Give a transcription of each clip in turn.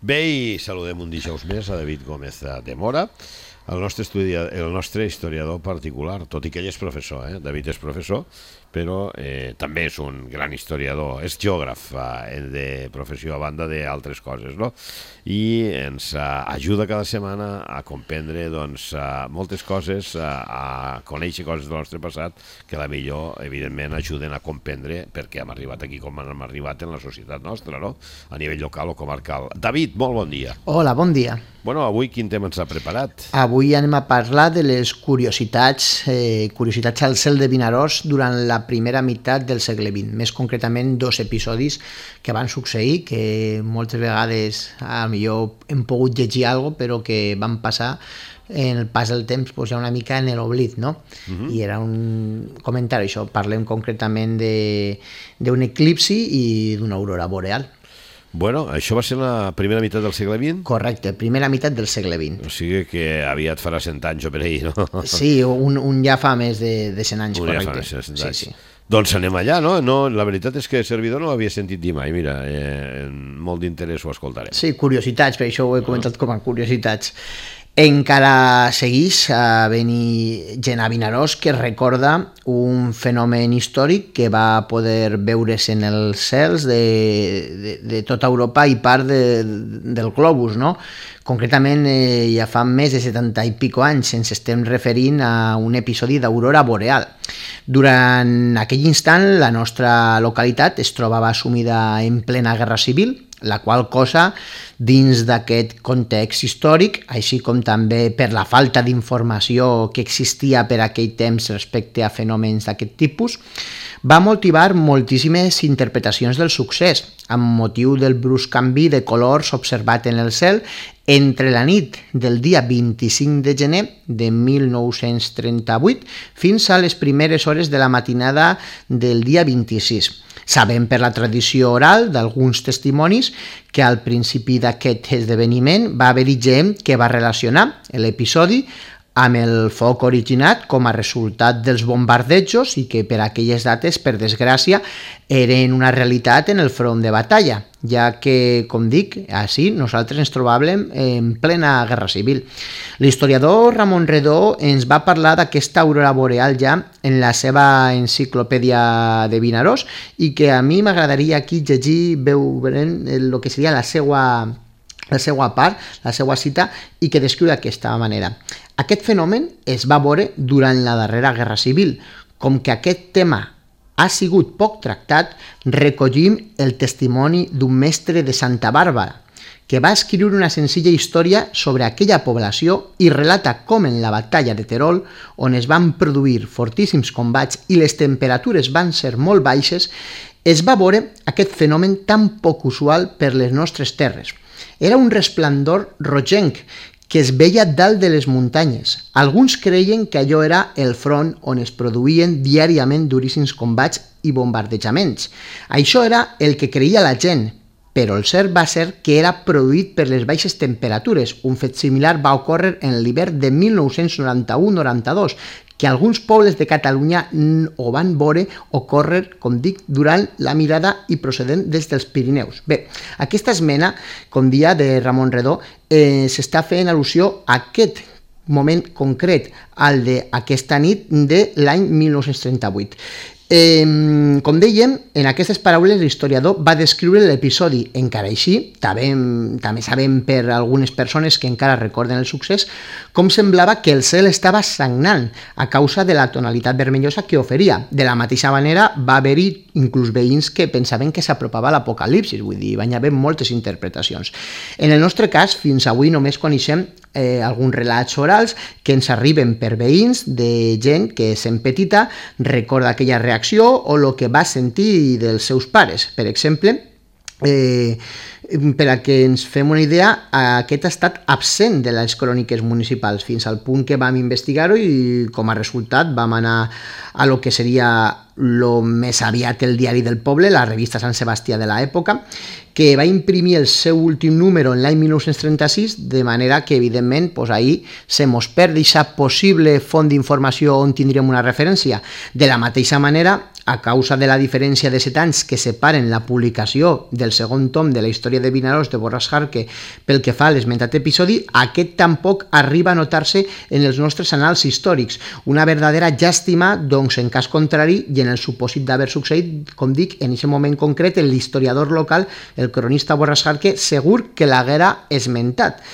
Bé, i saludem un dijous més a David Gómez de Mora, el nostre historiador particular, tot i que ell és professor, David és professor, però també és un gran historiador, és geògraf de professió a banda d'altres coses, no? I ens ajuda cada setmana a comprendre moltes coses, a conèixer coses del nostre passat que a la millor, evidentment, ajuden a comprendre perquè hem arribat aquí com hem arribat en la societat nostra, no? A nivell local o comarcal. David, molt bon dia. Hola, bon dia. Bueno, avui quin tema ens ha preparat? Avui anem a parlar de les curiositats al cel de Vinaròs durant la primera meitat del segle XX, més concretament 2 episodis que van succeir, que moltes vegades millor hem pogut llegir alguna cosa, però que van passar en el pas del temps ja una mica en l'oblit, no? I era un comentari, això, parlem concretament d'un eclipsi i d'una aurora boreal. Bueno, això va ser la primera meitat del segle XX? Correcte, primera meitat del segle XX. O sigui que aviat farà 100 anys o per ahir, no? Sí, un ja fa més de 100 anys, correcte. Ja fa més de 100 anys. Sí. Doncs anem allà, no? La veritat és que servidor no ho havia sentit dir mai, mira, molt d'interès ho escoltarem. Sí, curiositats, per això ho he comentat com a curiositats. Encara segueix venir gent a Vinaròs que recorda un fenomen històric que va poder veure's en els cels de tota Europa i part del globus, no? Concretament, ja fa més de 70 i pico anys ens estem referint a un episodi d'aurora boreal. Durant aquell instant, la nostra localitat es trobava sumida en plena guerra civil, la qual cosa, dins d'aquest context històric, així com també per la falta d'informació que existia per aquell temps respecte a fenòmens d'aquest tipus, va motivar moltíssimes interpretacions del succés, amb motiu del brusc canvi de colors observat en el cel entre la nit del dia 25 de gener de 1938 fins a les primeres hores de la matinada del dia 26. Sabem per la tradició oral d'alguns testimonis que al principi d'aquest esdeveniment va haver-hi gent que va relacionar l'episodi amb el foc originat com a resultat dels bombardejos i que per aquelles dates, per desgràcia, eren una realitat en el front de batalla, ja que, com dic, així nosaltres ens trobàvem en plena guerra civil. L'historiador Ramon Redó ens va parlar d'aquesta aurora boreal ja en la seva enciclopèdia de Vinaròs i que a mi m'agradaria aquí llegir, veure el que seria la seva part, la seva cita, i que descriu d'aquesta manera. Aquest fenomen es va veure durant la darrera guerra civil. Com que aquest tema ha sigut poc tractat, recollim el testimoni d'un mestre de Santa Bàrbara, que va escriure una senzilla història sobre aquella població i relata com en la batalla de Terol, on es van produir fortíssims combats i les temperatures van ser molt baixes, es va veure aquest fenomen tan poc usual per les nostres terres. Era un resplendor rogenc que es veia dalt de les muntanyes. Alguns creien que allò era el front on es produïen diàriament duríssims combats i bombardejaments. Això era el que creia la gent, però el cert va ser que era produït per les baixes temperatures. Un fet similar va ocórrer en l'hivern de 1991-92, que alguns pobles de Catalunya ho van veure ocórrer, com dic, durant la mirada i procedent des dels Pirineus. Bé, aquesta esmena, com dia de Ramon Redó, s'està fent al·lusió a aquest moment concret, al d'aquesta nit de l'any 1938. Com dèiem, en aquestes paraules l'historiador va descriure l'episodi. Encara així, també sabem per algunes persones que encara recorden el succés, com semblava que el cel estava sagnant a causa de la tonalitat vermellosa que oferia. De la mateixa manera, va haver-hi inclús veïns que pensaven que s'apropava l'apocalipsis, vull dir, van haver moltes interpretacions. En el nostre cas, fins avui només coneixem alguns relats orals que ens arriben per veïns de gent que, sent petita, recorda aquella reacció o el que va sentir dels seus pares. Per exemple, per a que ens fem una idea, aquest ha estat absent de les cròniques municipals fins al punt que vam investigar-ho i com a resultat vam anar a lo que seria més aviat el diari del poble, la revista Sant Sebastià de l'època, que va imprimir el seu últim número en l'any 1936, de manera que, evidentment, ahir se mos perd aquesta possible font d'informació on tindríem una referència. De la mateixa manera, a causa de la diferència de 7 anys que separen la publicació del segon tom de la història de Vinaròs de Borràs Jarque pel que fa a l'esmentat episodi, aquest tampoc arriba a notar-se en els nostres anals històrics. Una verdadera llàstima, doncs, en cas contrari, i en el supòsit d'haver succeït, com dic, en aquest moment concret, l'historiador local, el cronista Borràs Jarque, segur que l'haguera esmentat.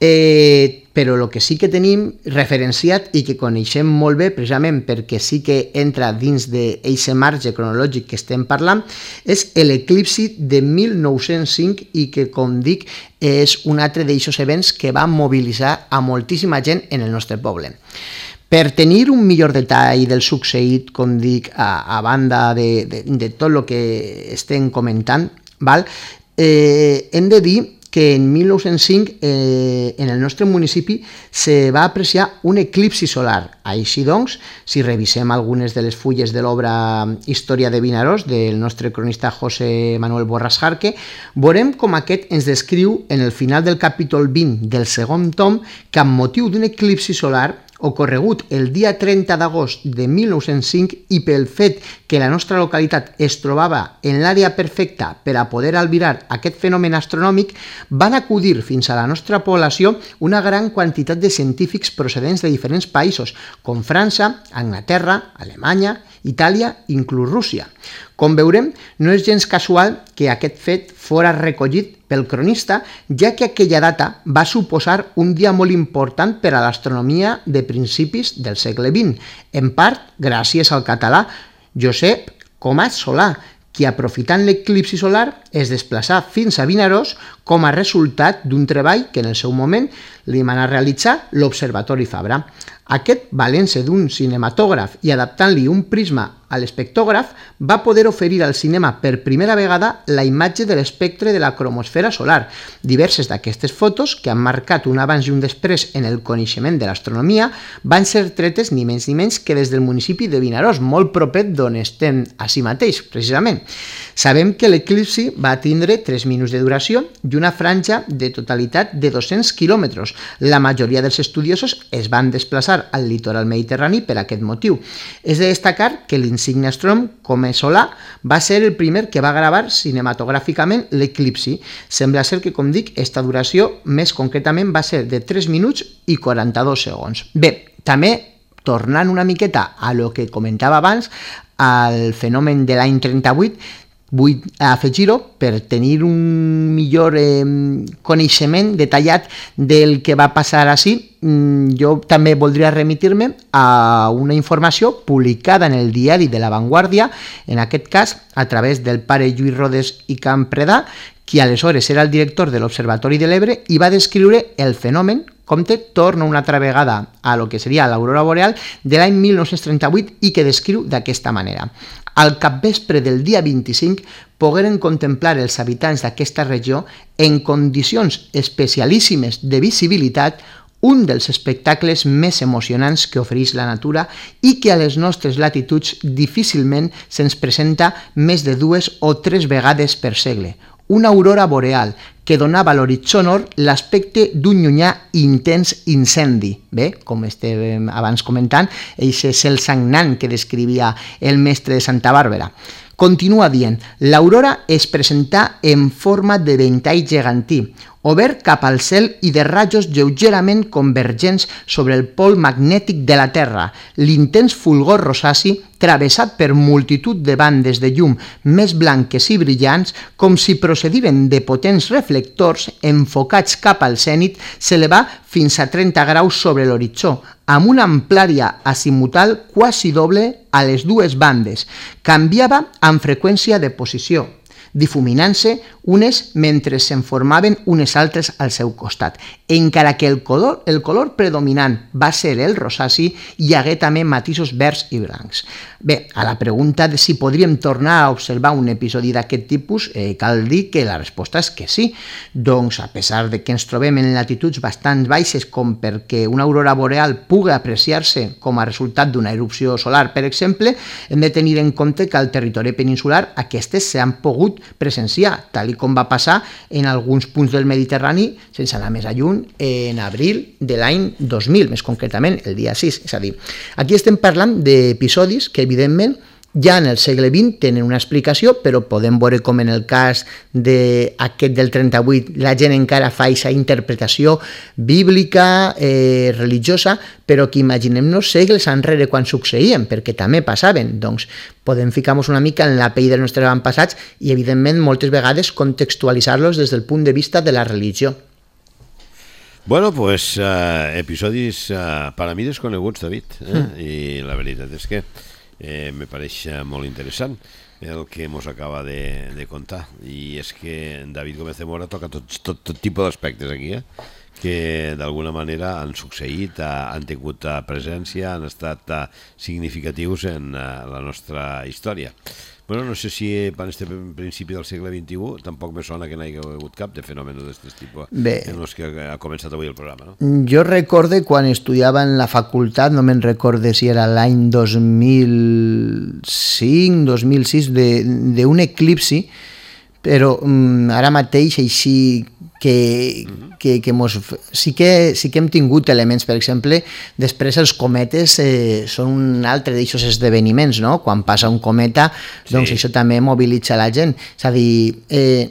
Però el que sí que tenim referenciat i que coneixem molt bé, precisament perquè sí que entra dins d'aquest marge cronològic que estem parlant, és l'eclipsi de 1905 i que, com dic, és un altre d'aquests events que va mobilitzar a moltíssima gent en el nostre poble. Per tenir un millor detall del succeït, com dic, a banda de tot el que estem comentant, hem de dir que en 1905 en el nostre municipi se va apreciar un eclipsi solar. Així doncs, si revisem algunes de les fulles de l'obra Història de Vinaròs del nostre cronista José Manuel Borràs Jarque, veurem com aquest ens descriu en el final del capítol 20 del segon tom que amb motiu d'un eclipsi solar ocorregut el dia 30 d'agost de 1905 i pel fet que la nostra localitat es trobava en l'àrea perfecta per a poder albirar aquest fenomen astronòmic, van acudir fins a la nostra població una gran quantitat de científics procedents de diferents països, com França, Anglaterra, Alemanya, Itàlia, inclús Rússia. Com veurem, no és gens casual que aquest fet fora recollit pel cronista, ja que aquella data va suposar un dia molt important per a l'astronomia de principis del segle XX, en part gràcies al català Josep Comas Solà, qui aprofitant l'eclipsi solar es desplaçà fins a Vinaròs com a resultat d'un treball que en el seu moment li manà realitzar l'Observatori Fabra. Aquest, valent-se d'un cinematògraf i adaptant-li un prisma a l'espectògraf, va poder oferir al cinema per primera vegada la imatge de l'espectre de la cromosfera solar. Diverses d'aquestes fotos, que han marcat un abans i un després en el coneixement de l'astronomia, van ser tretes ni menys que des del municipi de Vinaròs, molt propet d'on estem així mateix, precisament. Sabem que l'eclipsi va tindre 3 minuts de duració i una franja de totalitat de 200 quilòmetres. La majoria dels estudiosos es van desplaçar al litoral mediterrani per aquest motiu. És de destacar que l'insigne astrònom Comas Solà va ser el primer que va gravar cinematogràficament l'eclipsi. Sembla ser que, com dic, esta duració més concretament va ser de 3 minuts i 42 segons. Bé, també tornant una miqueta a lo que comentava abans, al fenomen de l'any 38, vull afegir-ho per tenir un millor coneixement detallat del que va passar així. Jo també voldria remitir-me a una informació publicada en el diari de La Vanguardia, en aquest cas a través del pare Lluís Rodes i Campredà, qui aleshores era el director de l'Observatori de l'Ebre i va descriure el fenomen, compte, torna una altra vegada a lo que seria l'aurora boreal de l'any 1938 i que descriu d'aquesta manera. Al capvespre del dia 25 pogueren contemplar els habitants d'aquesta regió en condicions especialíssimes de visibilitat un dels espectacles més emocionants que ofereix la natura i que a les nostres latituds difícilment se'ns presenta més de 2 o 3 vegades per segle. Una aurora boreal que donava a l'horitzó nord l'aspecte d'un llunyà intens incendi. Bé, com estàvem abans comentant, aquest cel sagnant que descrivia el mestre de Santa Bàrbara. Continua dient, l'aurora es presentà en forma de ventall gegantí, obert cap al cel i de rajos lleugerament convergents sobre el pol magnètic de la Terra. L'intens fulgor rosaci, travessat per multitud de bandes de llum més blanques i brillants, com si procediren de potents reflectors enfocats cap al zènit, s'elevà fins a 30 graus sobre l'horitzó, amb una amplària azimutal quasi doble a les dues bandes. Canviava amb freqüència de posició, difuminant-se unes mentre se'n formaven unes altres al seu costat. Encara que el color predominant va ser el rosaci, hi hagué també matisos verds i blancs. Bé, a la pregunta de si podríem tornar a observar un episodi d'aquest tipus, cal dir que la resposta és que sí. Doncs, a pesar de que ens trobem en latituds bastant baixes com perquè una aurora boreal pugui apreciar-se com a resultat d'una erupció solar, per exemple, hem de tenir en compte que al territori peninsular aquestes s'han pogut presenciar, tal com va passar en alguns punts del Mediterrani, sense anar més lluny, en abril de l'any 2000, més concretament el dia 6. És a dir, aquí estem parlant d'episodis que evidentment ja en el segle XX tenen una explicació, però podem veure com en el cas d'aquest del 38 la gent encara fa aquesta interpretació bíblica, religiosa, però que imaginem-nos segles enrere quan succeïen, perquè també passaven. Doncs podem ficar-nos una mica en la pell dels nostres avantpassats i, evidentment, moltes vegades contextualitzar-los des del punt de vista de la religió. Bueno, pues episodis per a mi desconeguts, David, i la veritat és que me pareix molt interessant el que ens acaba de contar, i és que David Gómez de Mora toca tot tipus d'aspectes aquí, que d'alguna manera han succeït, han tingut presència, han estat significatius en la nostra història. Bueno, no sé si per este principi del segle XXI tampoc me sona que n'hi hagi hagut cap de fenòmens d'aquest tipus en els que ha començat avui el programa, no? Jo recorde quan estudiava en la facultat, no me'n recorde si era l'any 2005, 2006, d'un eclipsi, però ara mateix així que sí que hem tingut elements, per exemple, després els cometes són un altre d'aixòs esdeveniments, no? Quan passa un cometa, doncs això també mobilitza la gent. És a dir,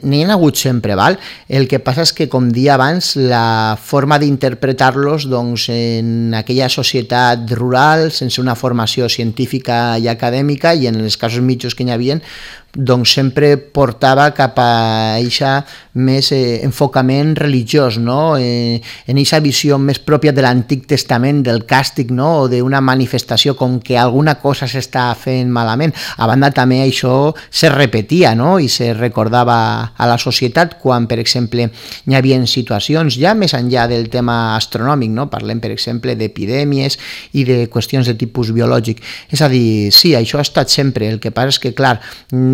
n'hi ha hagut sempre, val? El que passa és que, com dia abans, la forma d'interpretar-los doncs, en aquella societat rural, sense una formació científica i acadèmica, i en els casos mitjos que n'hi havia, doncs sempre portava cap a aquest més enfocament religiós, no? En aquesta visió més pròpia de l'Antic Testament, del càstig, no? O d'una manifestació com que alguna cosa s'està fent malament. A banda també això se repetia, no? I se recordava a la societat quan, per exemple, hi havia situacions ja més enllà del tema astronòmic, no? Parlem, per exemple, d'epidèmies i de qüestions de tipus biològic. És a dir, sí, això ha estat sempre. El que passa és que, clar,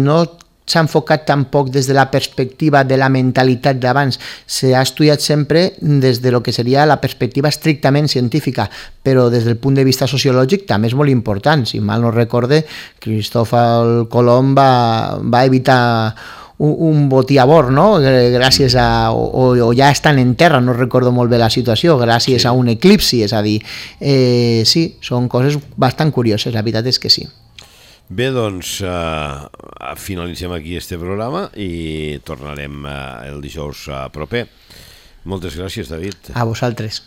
no s'ha enfocat tampoc des de la perspectiva de la mentalitat d'abans, s'ha estudiat sempre des de lo que seria la perspectiva estrictament científica, però des del punt de vista sociològic també és molt important. Si mal no recorde, Cristòfol Colom va evitar un botí a bord, no? Gràcies a... o ja estan en terra, no recordo molt bé la situació, gràcies a un eclipsi, és a dir, sí, són coses bastant curioses, la veritat és que sí. Bé, doncs finalitzem aquí este programa i tornarem el dijous proper. Moltes gràcies, David. A vosaltres.